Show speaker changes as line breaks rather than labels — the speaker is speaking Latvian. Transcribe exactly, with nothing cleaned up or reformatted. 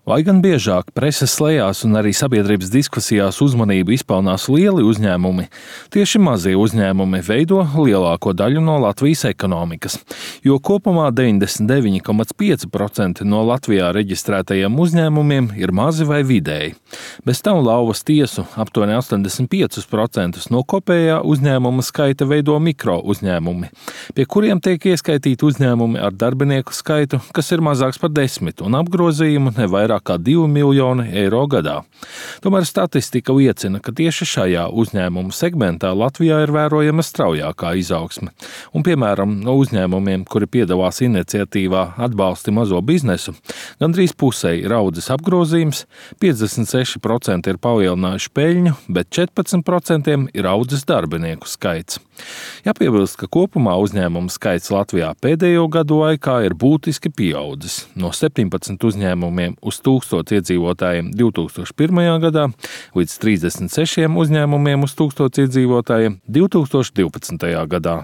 Lai gan biežāk preses lejās un arī sabiedrības diskusijās uzmanību izpelnās lieli uzņēmumi, tieši mazie uzņēmumi veido lielāko daļu no Latvijas ekonomikas, jo kopumā deviņdesmit deviņi komats pieci procenti no Latvijā reģistrētajiem uzņēmumiem ir mazi vai vidēji. Bez tam lauvas tiesu aptuveni astoņdesmit pieci procenti no kopējā uzņēmuma skaita veido mikro uzņēmumi, pie kuriem tiek ieskaitīti uzņēmumi ar darbinieku skaitu, kas ir mazāks par desmit un apgrozījumu ne vairāk kā divi miljoni eiro gadā. Tomēr statistika liecina, ka tieši šajā uzņēmumu segmentā Latvijā ir vērojama straujākā izaugsme. Un, piemēram, no uzņēmumiem, kuri piedalās iniciatīvā Atbalsti mazo biznesu, gandrīz pusē ir audzis apgrozījums, piecdesmit seši procenti ir palielinājuši peļņu, bet četrpadsmit procenti ir audzis darbinieku skaits. Jāpiebilst, ka kopumā uzņēmumu skaits Latvijā pēdējo gadu laikā ir būtiski pieaudzis. No septiņpadsmit uzņēmumiem uz tūkstots iedzīvotājiem divi tūkstoši pirmajā gadā līdz trīsdesmit sešiem uzņēmumiem uz tūkstots iedzīvotājiem divi tūkstoši divpadsmitajā gadā.